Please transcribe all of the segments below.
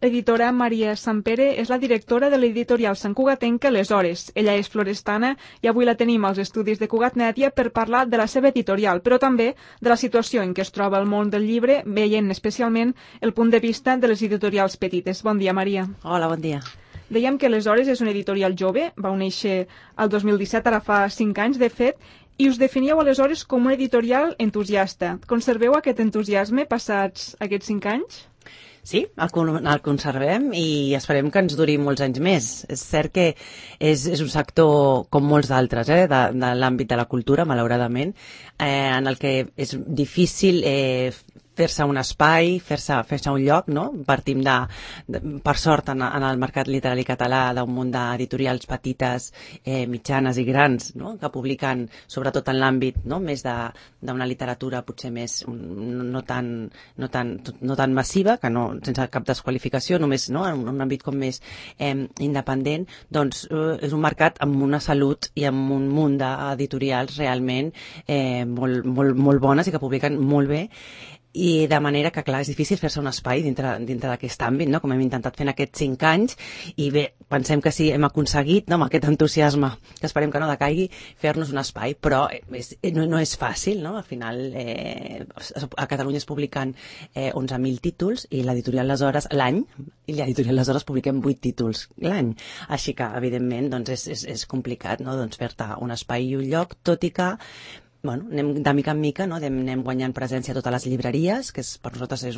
L'editora Maria Sampere és la directora de l'editorial Sant Cugatenca Les Hores. Ella és florestana i avui la tenim als estudis de Cugat Mèdia per parlar de la seva editorial, però també de la situació en què es troba el món del llibre, veient especialment el punt de vista de les editorials petites. Bon dia, Maria. Hola, bon dia. Dèiem que Les Hores és una editorial jove, va néixer el 2017, ara fa 5 anys, de fet, i us definíeu aleshores com una editorial entusiasta. Conserveu aquest entusiasme passats aquests 5 anys? Sí, el conservem i esperem que ens duri molts anys més. És cert que és un sector com molts d'altres, de l'àmbit de la cultura, malauradament, en el que és difícil fer-se un espai, fer-se un lloc, no? Partim per sort, en el mercat literari català, d'un munt d'editorials petites, mitjanes i grans, no? Que publiquen, sobretot en l'àmbit, no? Més d'una literatura potser més no tan massiva, que no, sense cap desqualificació, només, no? En un àmbit com més independent, doncs és un mercat amb una salut i amb un munt d'editorials realment molt bones i que publiquen molt bé. I de manera que, clar, és difícil fer-se un espai dintre d'aquest àmbit, no? Com hem intentat fer en aquests 5 anys, i bé, pensem que sí, hem aconseguit, no? Amb aquest entusiasme, que esperem que no decaigui, fer-nos un espai, però no és fàcil, no? Al final, a Catalunya es publiquen 11.000 títols, i l'editorial Les Hores l'any, i l'editorial Les Hores publiquem 8 títols l'any. Així que, evidentment, doncs és complicat, no? Doncs fer-te un espai i un lloc, tot i que anem de mica en mica, no? Anem guanyant presència a totes les llibreries, que per nosaltres és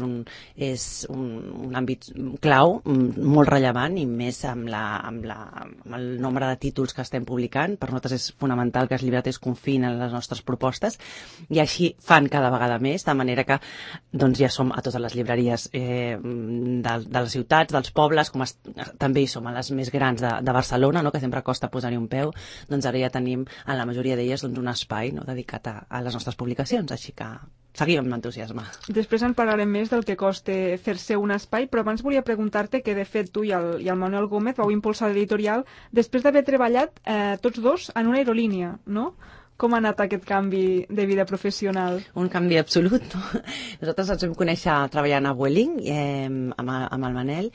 un àmbit clau, molt rellevant, i més amb el nombre de títols que estem publicant. Per nosaltres és fonamental que els llibreters confiïn en les nostres propostes, i així fan cada vegada més, de manera que doncs, ja som a totes les llibreries de les ciutats, dels pobles, també hi som a les més grans de Barcelona, no? Que sempre costa posar-hi un peu. Doncs ara ja tenim en la majoria d'elles un espai, no? Dedicat a les nostres publicacions, així que seguim amb entusiasme. Després en parlarem més del que costa fer-se un espai, però abans volia preguntar-te que, de fet, tu i el Manuel Gómez vau impulsar l'editorial després d'haver treballat tots dos en una aerolínia, no? Com ha anat aquest canvi de vida professional? Un canvi absolut, no? Nosaltres ens vam conèixer treballant a Vueling amb el Manel.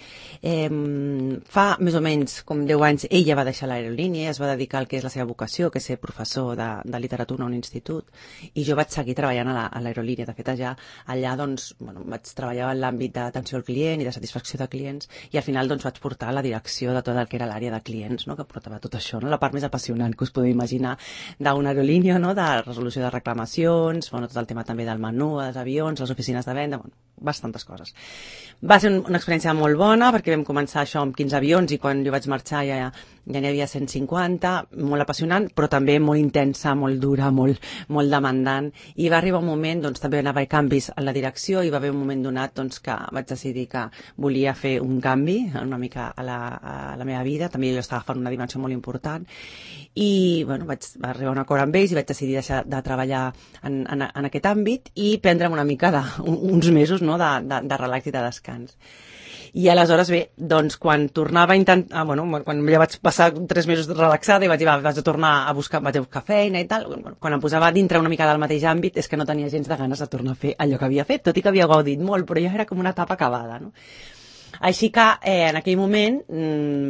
Fa més o menys com 10 anys ella va deixar l'aerolínia, es va dedicar al que és la seva vocació, que és ser professor de literatura a un institut, i jo vaig seguir treballant a l'aerolínia. De fet, allà doncs, vaig treballar en l'àmbit d'atenció al client i de satisfacció de clients, i al final doncs, vaig portar la direcció de tot el que era l'àrea de clients, no? Que portava tot això, no? La part més apassionant que us podeu imaginar d'una aerolínia, no? De resolució de reclamacions, tot el tema també del menú, dels avions, les oficines de venda, bastantes coses. Va ser una experiència molt bona, perquè vam començar això amb 15 avions, i quan jo vaig marxar ja n'hi havia 150, molt apassionant, però també molt intensa, molt dura, molt demandant, i va arribar un moment, doncs també va haver canvis en la direcció, i va haver un moment donat doncs, que vaig decidir que volia fer un canvi una mica a la meva vida. També jo estava fent una dimensió molt important, i vaig arribar a un acord amb ells i vaig decidir deixar de treballar en aquest àmbit i prendre'm una mica uns mesos, no? de relax i de descans. I aleshores, bé, doncs quan tornava a intentar, quan ja vaig passar 3 mesos relaxada i vaig dir, vaig tornar a buscar feina i tal, quan em posava dintre una mica del mateix àmbit és que no tenia gens de ganes de tornar a fer allò que havia fet, tot i que havia gaudit molt, però ja era com una etapa acabada, no? Així que en aquell moment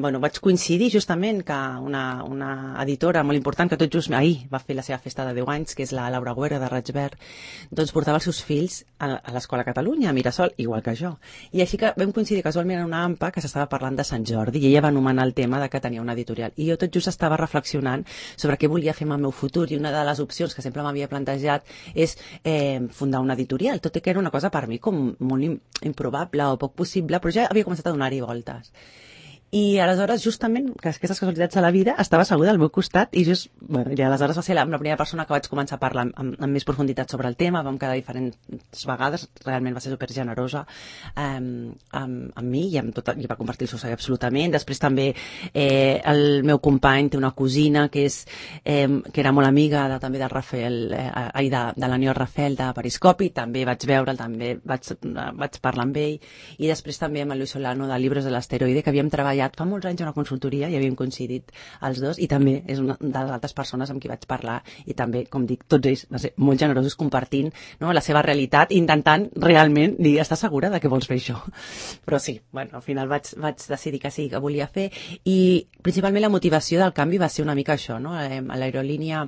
vaig coincidir justament que una editora molt important, que tot just ahir va fer la seva festa de 10 anys, que és la Laura Güera de Raig Verd, doncs portava els seus fills a l'Escola Catalunya, a Mirasol, igual que jo. I així que vam coincidir casualment en una AMPA que s'estava parlant de Sant Jordi, i ella va anomenar el tema de que tenia una editorial. I jo tot just estava reflexionant sobre què volia fer amb el meu futur, i una de les opcions que sempre m'havia plantejat és fundar una editorial, tot i que era una cosa per mi com molt improbable o poc possible, però ja havia començat a donar-hi voltes. I aleshores, justament, que aquestes casualitats de la vida, estava asseguda al meu costat i aleshores va ser la primera persona que vaig començar a parlar amb més profunditat sobre el tema. Vam quedar diferents vegades, realment va ser supergenerosa amb mi i va compartir el seu saber absolutament. Després també el meu company té una cosina que era molt amiga també del Rafael, de l'Aniol Rafel de Periscopi, també vaig veure'l, també vaig parlar amb ell, i després també amb el Luis Solano de Libros de l'Asteroide, que havíem treballat triat fa molts anys a una consultoria i havíem coincidit els dos, i també és una de les altres persones amb qui vaig parlar, i també, com dic, tots ells van ser molt generosos compartint, no, la seva realitat, intentant realment dir, estàs segura de que vols fer això? Però sí, bueno, al final vaig decidir que sí, que volia fer, i principalment la motivació del canvi va ser una mica això, no? A l'aerolínia,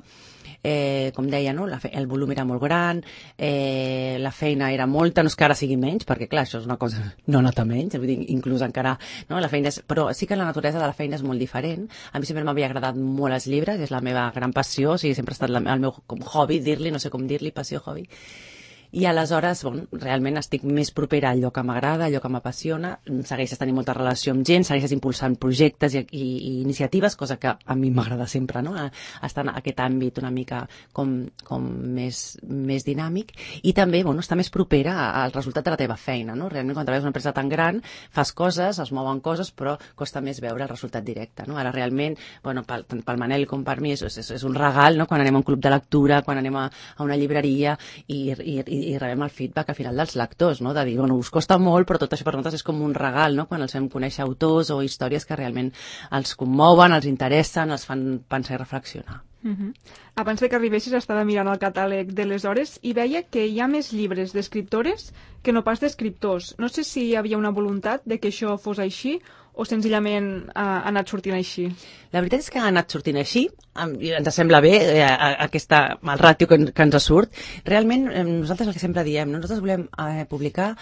com deia, no? El volum era molt gran, la feina era molta, no és que ara sigui menys, perquè clar, això és una cosa, no nota menys, vull dir, inclús encara, no? La feina és, però sí que la naturalesa de la feina és molt diferent. A mi sempre m'havia agradat molt els llibres, és la meva gran passió, o sigui, sempre ha estat el meu com hobby, dir-li, no sé com dir-li, passió, hobby. I aleshores, bueno, realment estic més propera a allò que m'agrada, allò que m'apassiona, segueixes tenint molta relació amb gent, segueixes impulsant projectes i iniciatives, cosa que a mi m'agrada sempre, no? Estar en aquest àmbit una mica com més dinàmic, i també, bueno, estar més propera al resultat de la teva feina, no? Realment, quan treballes en una empresa tan gran, fas coses, es mouen coses, però costa més veure el resultat directe, no? Ara realment, bueno, tant pel Manel com per mi és un regal, no? Quan anem a un club de lectura, quan anem a una llibreria i rebem el feedback al final dels lectors, no? De dir, bueno, us costa molt, però tot això per nosaltres és com un regal, no? Quan els fem conèixer autors o històries que realment els commouen, els interessen, els fan pensar i reflexionar. Abans que arribessis estava mirant el catàleg de les hores i veia que hi ha més llibres d'escriptores que no pas d'escriptors. No sé si hi havia una voluntat de que això fos així o senzillament ha anat sortint així. La veritat és que ha anat sortint així, ens sembla bé el ràtio que ens surt. Realment, nosaltres el que sempre diem, nosaltres volem publicar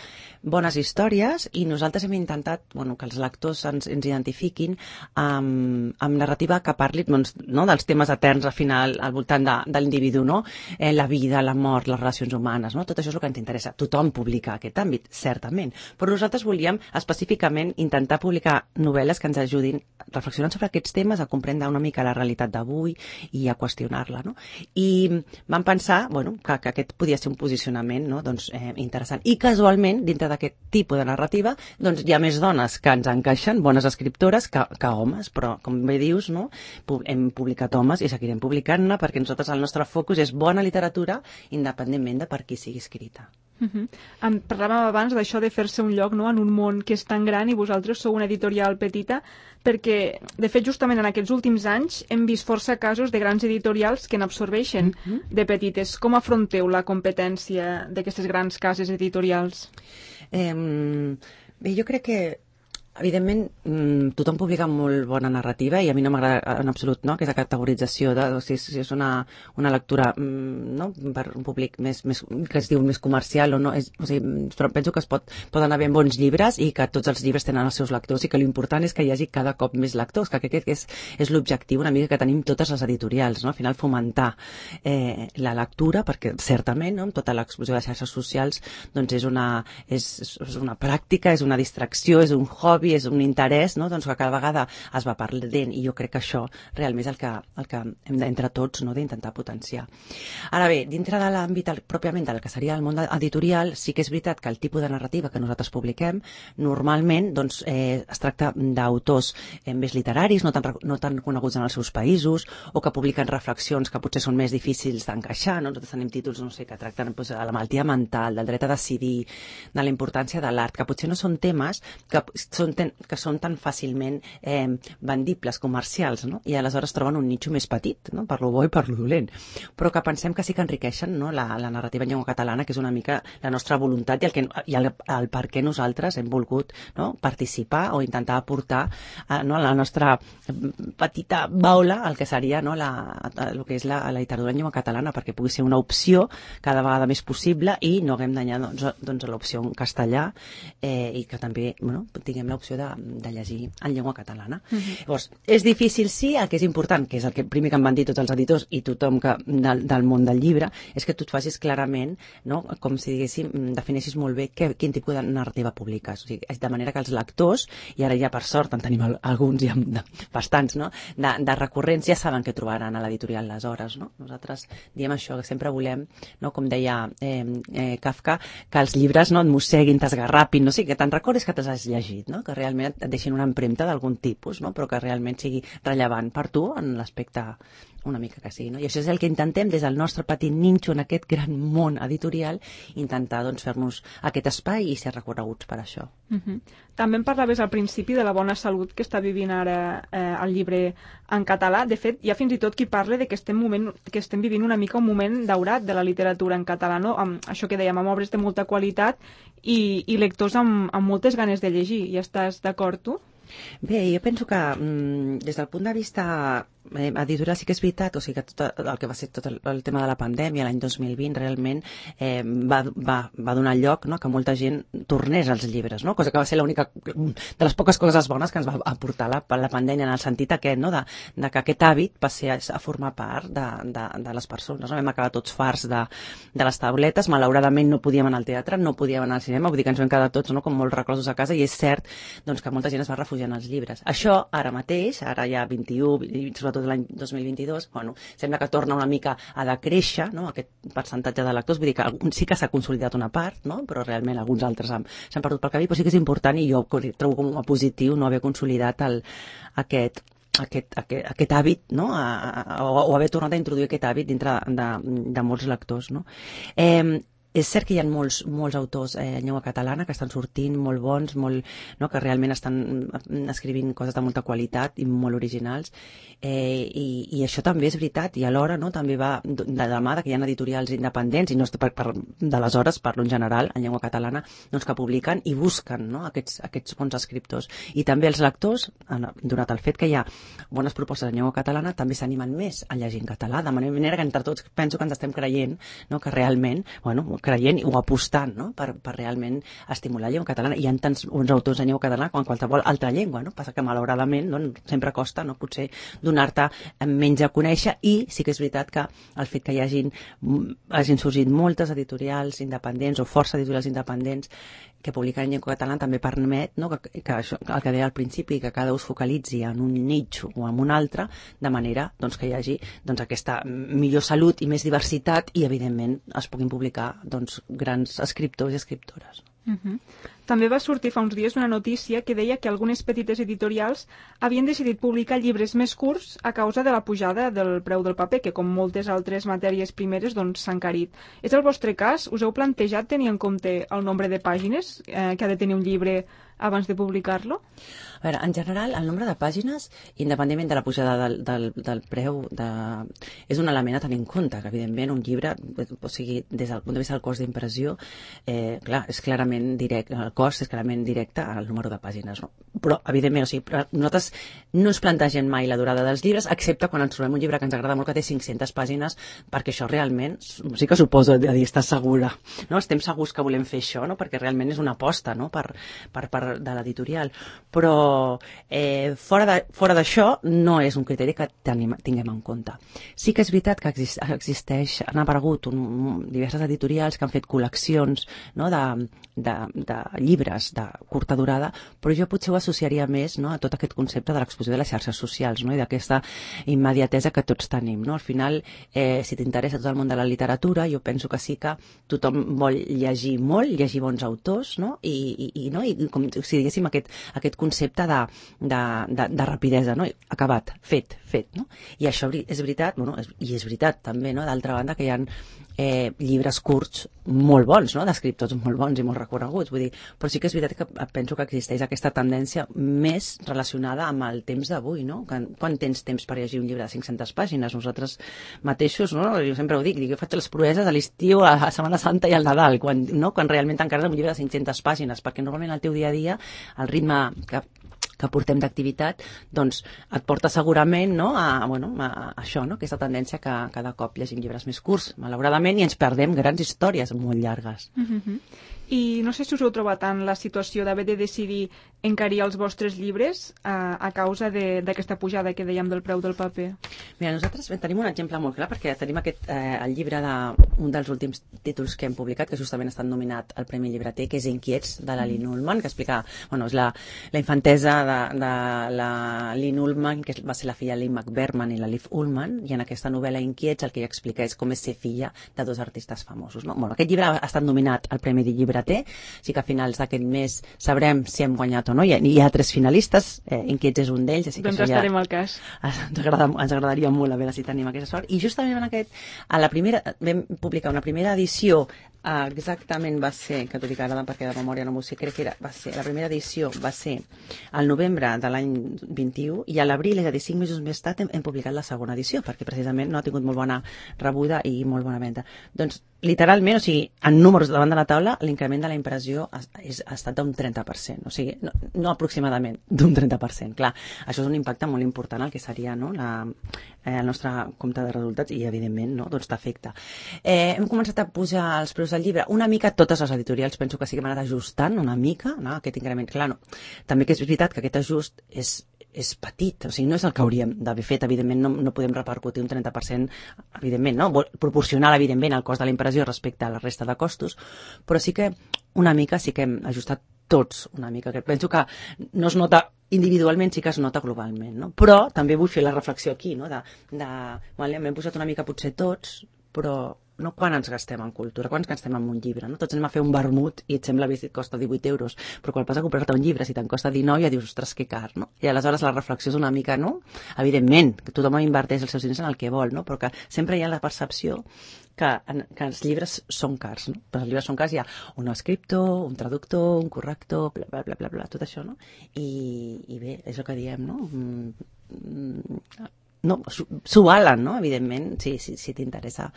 bones històries i nosaltres hem intentat que els lectors ens identifiquin amb narrativa que parli dels temes eterns al final al voltant de l'individu, no? La vida, la mort, les relacions humanes, no? Tot això és el que ens interessa. Tothom publica aquest àmbit, certament, però nosaltres volíem específicament intentar publicar novel·les que ens ajudin reflexionant sobre aquests temes, a comprendre una mica la realitat d'avui i a qüestionar-la, no? I vam pensar que aquest podia ser un posicionament, no? Interessant. I casualment, dintre d'aquest tipus de narrativa, hi ha més dones que ens encaixen, bones escriptores, que homes, però com bé dius, no? Hem publicat homes i seguirem publicant-ne perquè nosaltres el nostre focus és bona literatura independentment de per qui sigui escrita. Parlàvem abans d'això de fer-se un lloc, no?, en un món que és tan gran i vosaltres sou una editorial petita, perquè, de fet, justament en aquests últims anys hem vist força casos de grans editorials que n'absorbeixen de petites. Com afronteu la competència d'aquestes grans cases editorials? Bé, jo crec que evidentment, tothom publica molt bona narrativa i a mi no m'agrada en absolut, no?, aquesta categorització si és una lectura per un públic que es diu més comercial o no. Però penso que poden haver bons llibres i que tots els llibres tenen els seus lectors i que l'important és que hi hagi cada cop més lectors, que aquest és l'objectiu una mica que tenim totes les editorials, no? Al final fomentar la lectura, perquè certament, no?, amb tota l'explosió de xarxes socials és una pràctica, és una distracció, és un hobby, és un interès, no?, que cada vegada es va perdent, i jo crec que això realment és el que hem entre tots, no?, d'intentar potenciar. Ara bé, dintre de l'àmbit pròpiament del que seria el món editorial, sí que és veritat que el tipus de narrativa que nosaltres publiquem normalment es tracta d'autors més literaris, no tan coneguts en els seus països, o que publiquen reflexions que potser són més difícils d'encaixar, no? Nosaltres tenim títols que tracten de la malaltia mental, del dret a decidir, de la importància de l'art, que potser no són temes que són tan fàcilment vendibles, comercials, no? I aleshores troben un nitxo més petit, no?, per lo bo i per lo dolent, però que pensem que sí que enriqueixen, no?, la narrativa en llengua catalana, que és una mica la nostra voluntat i el per què nosaltres hem volgut, no?, participar o intentar aportar a la nostra petita baula el que seria, no?, el que és la literatura en llengua catalana, perquè pugui ser una opció cada vegada més possible i no haguem d'anyar l'opció en castellà i que també tinguem l'opció de llegir en llengua catalana. Llavors, és difícil, sí. El que és important, que és el primer que em van dir tots els editors i tothom del món del llibre, és que tu et facis clarament, no?, com si diguéssim, defineixis molt bé quin tipus de narrativa publiques. O sigui, de manera que els lectors, i ara ja per sort en tenim alguns i bastants, no?, de recurrents, ja saben què trobaran a l'editorial Les Hores, no? Nosaltres diem això, que sempre volem, no?, com deia Kafka, que els llibres no et mosseguin, t'esgarrapin, no sé, que te'n recordis que t'has llegit, no?, que realment et deixin una empremta d'algun tipus, no?, però que realment sigui rellevant per tu en l'aspecte una mica que sí, no? I això és el que intentem des del nostre petit ninxo en aquest gran món editorial, intentar doncs, fer-nos aquest espai i ser reconeguts per això. També em parlaves al principi de la bona salut que està vivint ara el llibre en català. De fet, hi ha fins i tot qui parla de que estem vivint una mica un moment daurat de la literatura en català, no? Amb això que dèiem, amb obres de molta qualitat i lectors amb moltes ganes de llegir. Hi estàs d'acord, tu? Bé, jo penso que des del punt de vista editorial sí que és veritat, o sigui que tot el que va ser tot el tema de la pandèmia l'any 2020 realment va donar lloc, no?, que molta gent tornés als llibres, no?, cosa que va ser l'única de les poques coses bones que ens va aportar la pandèmia, en el sentit aquest, no?, de que aquest hàbit passés a formar part de les persones, no? Vam acabar tots farts de les tauletes, malauradament no podíem anar al teatre, no podíem anar al cinema, vull dir que ens vam quedar tots, no?, com molt reclosos a casa, i és cert doncs, que molta gent es va refugiar en els llibres. Això ara mateix, ara ja 21, sobretot l'any 2022, bueno, sembla que torna una mica a decréixer, no?, aquest percentatge de lectors, vull dir que sí que s'ha consolidat una part, no?, però realment alguns altres s'han perdut pel camí, però sí que és important, i jo trobo com a positiu no haver consolidat aquest hàbit, no?, o haver tornat a introduir aquest hàbit dintre de molts lectors, no? És cert que hi ha molts autors en llengua catalana que estan sortint molt bons, no, que realment estan escrivint coses de molta qualitat i molt originals, i això també és veritat, i alhora, no, també va de la mà que hi ha editorials independents, i no d'aleshores parlo en general en llengua catalana, doncs que publiquen i busquen, no, aquests bons escriptors. I també els lectors, donat el fet que hi ha bones propostes en llengua catalana, també s'animen més a llegir en català, de manera que entre tots penso que ens estem creient, no, que realment, creient o apostant, no?, per realment estimular la llengua catalana. Hi ha tants bons autors en llengua catalana com en qualsevol altra llengua, no? Passa que malauradament doncs, sempre costa, no?, potser donar-te menys a conèixer, i sí que és veritat que el fet que hagin sorgit moltes editorials independents o força editorials independents que publiquen en llengua catalana també permet, no?, que això, el que deia al principi, que cada un es focalitzi en un nicho o en un altre, de manera doncs, que hi hagi doncs, aquesta millor salut i més diversitat, i evidentment es puguin publicar doncs, grans escriptors i escriptores. També va sortir fa uns dies una notícia que deia que algunes petites editorials havien decidit publicar llibres més curts a causa de la pujada del preu del paper, que com moltes altres matèries primeres doncs, s'ha encarit. És el vostre cas? Us heu plantejat tenir en compte el nombre de pàgines que ha de tenir un llibre abans de publicar-lo? A veure, en general, el nombre de pàgines, independentment de la pujada del preu, és un element a tenir en compte, que evidentment un llibre, o sigui, des del punt de vista del cost d'impressió, clar, és clarament directe, el cost és clarament directe al número de pàgines, no? Però, evidentment, o sigui, nosaltres no ens plantegem mai la durada dels llibres, excepte quan ens trobem un llibre que ens agrada molt, que té 500 pàgines, perquè això realment, sí que suposo de dir, estàs segura, no? Estem segurs que volem fer això, no? Perquè realment és una aposta, no?, per part de l'editorial, però fora d'això no és un criteri que tinguem en compte. Sí que és veritat que han aparegut diverses editorials que han fet col·leccions, no?, de llibres de curta durada, però jo potser ho associaria més, no?, a tot aquest concepte de l'exposició de les xarxes socials, no?, i d'aquesta immediatesa que tots tenim, no? Al final, si t'interessa tot el món de la literatura, jo penso que sí que tothom vol llegir molt, llegir bons autors, no?, i com si diguéssim aquest concepte de rapidesa, no?, acabat, fet, no? I això és veritat, bueno, i és veritat també, no?, d'altra banda, que hi ha llibres curts molt bons, no?, d'escriptors molt bons i molt reconeguts, vull dir, però sí que és veritat que penso que existeix aquesta tendència més relacionada amb el temps d'avui, no? Quan tens temps per llegir un llibre de 500 pàgines? Nosaltres mateixos, no?, jo sempre ho dic, jo faig les proeses a l'estiu, a Setmana Santa i al Nadal, quan realment t'encarregues un llibre de 500 pàgines, perquè normalment al teu dia a dia el ritme que portem d'activitat, doncs et porta segurament, no?, a això, no?, aquesta tendència que cada cop llegim llibres més curts, malauradament, i ens perdem grans històries molt llargues. I no sé si us heu trobat en la situació d'haver de decidir encarir els vostres llibres a causa d'aquesta pujada que dèiem del preu del paper. Mira, nosaltres tenim un exemple molt clar, perquè tenim el llibre d'un dels últims títols que hem publicat, que justament ha estat nominat al Premi Llibreter, que és Inquiets, de la Lynn Ullman, que explica, és la infantesa de la Lynn Ullman, que va ser la filla de Lynn McBerman i la Liv Ullman, i en aquesta novel·la Inquiets el que ella explica és com és ser filla de dos artistes famosos, no? Aquest llibre ha estat nominat al Premi Llibreter, té, així que a finals d'aquest mes sabrem si hem guanyat o no. Hi ha 3 finalistes, Inquiets és un d'ells, doncs estarem al cas. Ens agradaria molt a veure si tenim aquesta sort. I justament vam publicar una primera edició, exactament va ser, que t'ho dic ara perquè de memòria no m'ho sé, crec que la primera edició va ser al novembre de l'any 21 i a l'abril, és a dir, 5 mesos més tard, hem publicat la segona edició, perquè precisament no ha tingut molt bona rebuda i molt bona venda. Doncs, literalment, o sigui, en números davant de la taula, l'increment de la impressió ha estat d'un 30%, o sigui, no aproximadament, d'un 30%. Clar, això és un impacte molt important al que seria, no?, el nostre compte de resultats i, evidentment, no?, doncs t'afecta. Hem començat a pujar els preus del llibre. Una mica totes les editorials penso que sí que hem anat ajustant una mica, no?, aquest increment. Clar, no. També que és veritat que aquest ajust és petit, o sigui, no és el que hauríem d'haver fet, evidentment no podem repercutir un 30%, evidentment, no? Proporcional, evidentment, al cost de la impressió respecte a la resta de costos, però sí que una mica sí que hem ajustat tots una mica, que penso que no es nota individualment, sí que es nota globalment, no? Però també vull fer la reflexió aquí, no? M'hem posat una mica potser tots, però no quan ens gastem en cultura, quan ens gastem en un llibre, no? Tots anem a fer un vermut i et sembla bé si et costa 18 euros, però quan vas a comprar-te un llibre, si te'n costa 19, ja dius, ostres, que car, no? I aleshores la reflexió és una mica, no? Evidentment, que tothom inverteix els seus diners en el que vol, no? Però que sempre hi ha la percepció que els llibres són cars, no? Però els llibres són cars, hi ha un escriptor, un traductor, un corrector, bla, bla, bla, bla, bla, tot això, no? I bé, és el que diem, no? No, s'ho valen, no? Evidentment, si t'interessa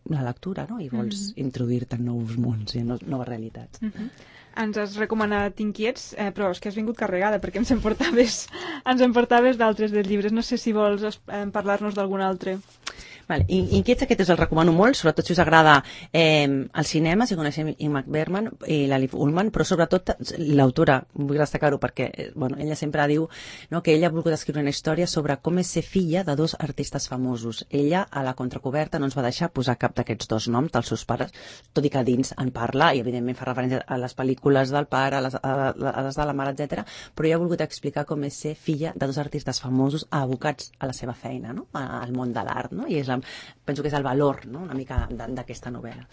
la lectura, no? I vols introduir-te en nous mons i en noves realitats. Ens has recomanat Inquiets, però és que has vingut carregada perquè ens en portaves d'altres dels llibres. No sé si vols parlar-nos d'algun altre. Vale. Inquiets, aquest us el recomano molt, sobretot si us agrada el cinema, si coneixem Ingmar Bergman i l'Alif Ullmann, però sobretot l'autora, vull destacar-ho perquè ella sempre diu, no, que ella ha volgut escriure una història sobre com és ser filla de 2 artistes famosos. Ella, a la contracoberta, no ens va deixar posar cap d'aquests 2 noms dels seus pares, tot i que dins en parla, i evidentment fa referència a les pel·lícules del pare, a les de la mare, etc. Però ella ha volgut explicar com és ser filla de 2 artistes famosos abocats a la seva feina, no?, al món de l'art, no? I penso que és el valor, no?, una mica d'aquesta novel·la.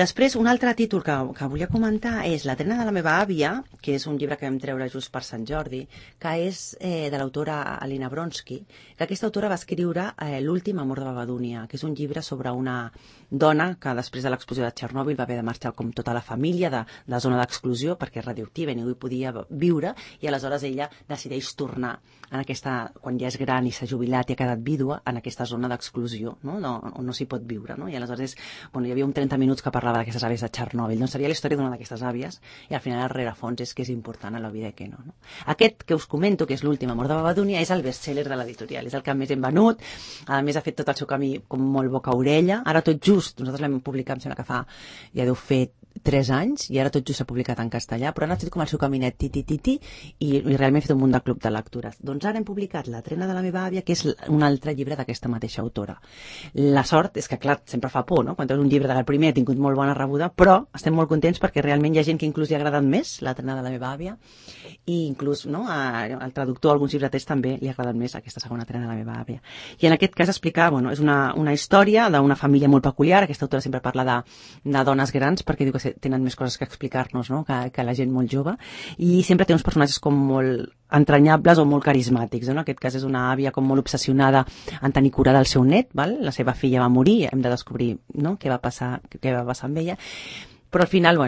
Després, un altre títol que volia comentar és La trena de la meva àvia, que és un llibre que vam treure just per Sant Jordi, que és de l'autora Alina Bronsky, que aquesta autora va escriure L'últim amor de Babadúnia, que és un llibre sobre una dona que després de l'explosió de Txernòbil va haver de marxar com tota la família de zona d'exclusió perquè és radioactiva i ningú hi podia viure, i aleshores ella decideix tornar quan ja és gran i s'ha jubilat i ha quedat vídua, en aquesta zona d'exclusió, no? On no s'hi pot viure, no? I aleshores hi havia un 30 minuts que parlava d'aquestes àvies de Txernòbil. Doncs seria la història d'una d'aquestes àvies i al final el rerefons és que és important a la vida i que no. Aquest que us comento, que és L'últim amor de Babadúnia, és el best-seller de l'editorial, és el que més hem venut, a més ha fet tot el seu camí com molt boca-orella. Ara tot just, nosaltres l'hem publicat, em sembla que ja deu fer 3 anys, i ara tot just s'ha publicat en castellà, però han estat com el seu caminet i realment he fet un munt de club de lectures. Doncs ara hem publicat La trena de la meva àvia, que és un altre llibre d'aquesta mateixa autora. La sort és que, clar, sempre fa por, no? Quan treus un llibre del primer ha tingut molt bona rebuda, però estem molt contents perquè realment hi ha gent que inclús li ha agradat més La trena de la meva àvia, i inclús, no, al traductor, alguns llibreters també li ha agradat més aquesta segona trena de la meva àvia. I en aquest cas explicar, és una història d'una família molt peculiar. Aquesta autora sempre parla de dones grans perquè diu que tenen més coses que explicar-nos, no?, que la gent molt jove, i sempre té uns personatges com molt entranyables o molt carismàtics, no? En aquest cas és una àvia com molt obsessionada en tenir cura del seu net, val? La seva filla va morir, hem de descobrir, no?, què va passar amb ella, però al final,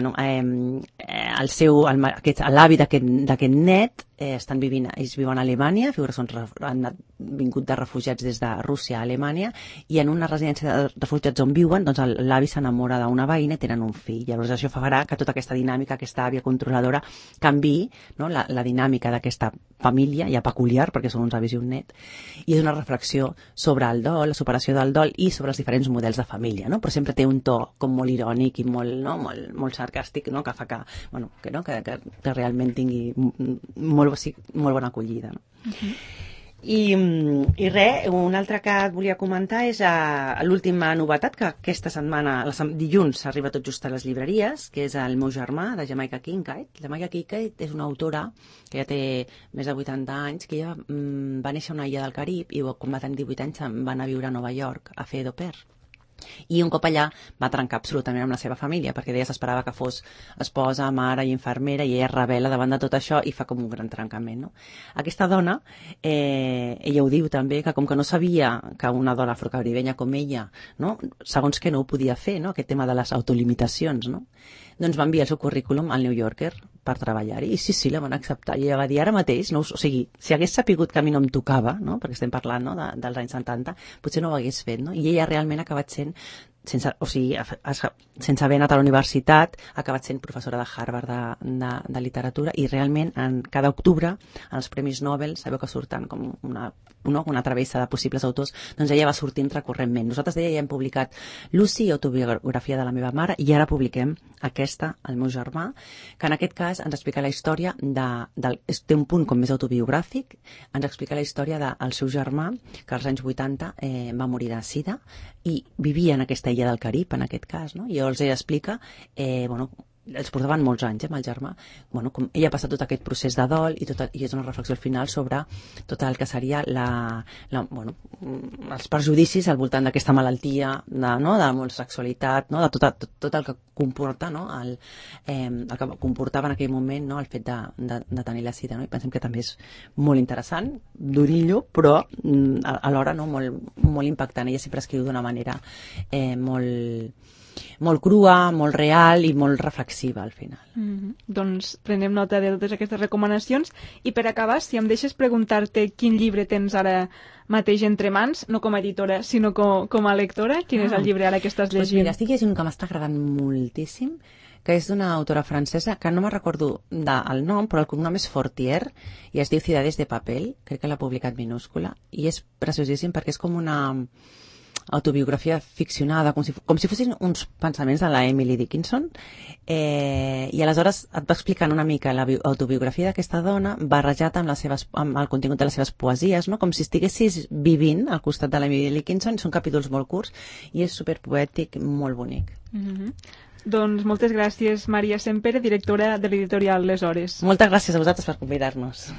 l'avi d'aquest net ells viuen a Alemanya, han vingut de refugiats des de Rússia a Alemanya, i en una residència de refugiats on viuen, doncs l'avi s'enamora d'una veïna i tenen un fill. Llavors això farà que tota aquesta dinàmica, aquesta àvia controladora, canviï, no?, la dinàmica d'aquesta família, ja peculiar, perquè són uns avis i un net, i és una reflexió sobre el dol, la superació del dol i sobre els diferents models de família, no? Però sempre té un to com molt irònic i molt sarcàstic, no?, que fa que realment tingui molt bona acollida, no? I res, un altre que et volia comentar és l'última novetat, que aquesta setmana, dilluns, arriba tot just a les llibreries, que és El meu germà, de Jamaica Kincaid. Jamaica Kincaid és una autora que ja té més de 80 anys, que ella va néixer a una illa del Carib i quan va tenir 18 anys se'n va anar a viure a Nova York a fer d'au pair. I un cop allà va trencar absolutament amb la seva família, perquè ella s'esperava que fos esposa, mare i infermera, i ella es rebel·la davant de tot això i fa com un gran trencament, no? Aquesta dona, ella ho diu també, que com que no sabia que una dona afrocaribenya com ella, no? Segons que no ho podia fer, no? Aquest tema de les autolimitacions, no? Doncs va enviar el seu currículum al New Yorker per treballar-hi, i sí, la van acceptar, i ella va dir ara mateix, no? O sigui, si hagués sapigut que a mi no em tocava, no? Perquè estem parlant, no? dels anys 70, potser no ho hagués fet, no? I ella realment ha acabat sent sense haver anat a la universitat, ha acabat sent professora de Harvard de literatura, i realment cada octubre en els Premis Nobel sabeu que surten com una travessa de possibles autors, doncs ella va sortint recurrentment. Nosaltres ja hem publicat Lucy, autobiografia de la meva mare, i ara publiquem aquesta, El meu germà, que en aquest cas ens explica la història té un punt com més autobiogràfic, ens explica la història del seu germà, que als anys 80 va morir de sida i vivia en aquesta illa del Carib, en aquest cas, no? I els explica, els portaven molts anys amb el germà, com ella ha passat tot aquest procés de dol i és una reflexió al final sobre tot el que seria els perjudicis al voltant d'aquesta malaltia, de la homosexualitat, no? De tot el que comporta, no? el que comportava en aquell moment, no? El fet de tenir la sida, no? I pensem que també és molt interessant, durillo, però alhora no? molt impactant. Ella sempre escriu d'una manera molt crua, molt real i molt reflexiva al final. Doncs prenem nota de totes aquestes recomanacions, i per acabar, si em deixes preguntar-te quin llibre tens ara mateix entre mans, no com a editora sinó com a lectora, quin és el llibre ara que estàs llegint? Mira, estic llegint un que m'està agradant moltíssim, que és d'una autora francesa que no me recordo el nom, però el cognom és Fortier i es diu Ciudades de papel, crec que l'ha publicat minúscula, i és preciosíssim perquè és com una autobiografia ficcionada, com si fossin uns pensaments de la Emily Dickinson, i aleshores et va explicant una mica l'autobiografia d'aquesta dona barrejat amb el contingut de les seves poesies, no? Com si estiguessis vivint al costat de l'Emily Dickinson. Són capítols molt curts i és superpoètic, molt bonic. Doncs moltes gràcies, Maria Sempere, directora de l'editorial Les Hores. Moltes gràcies a vosaltres per convidar-nos.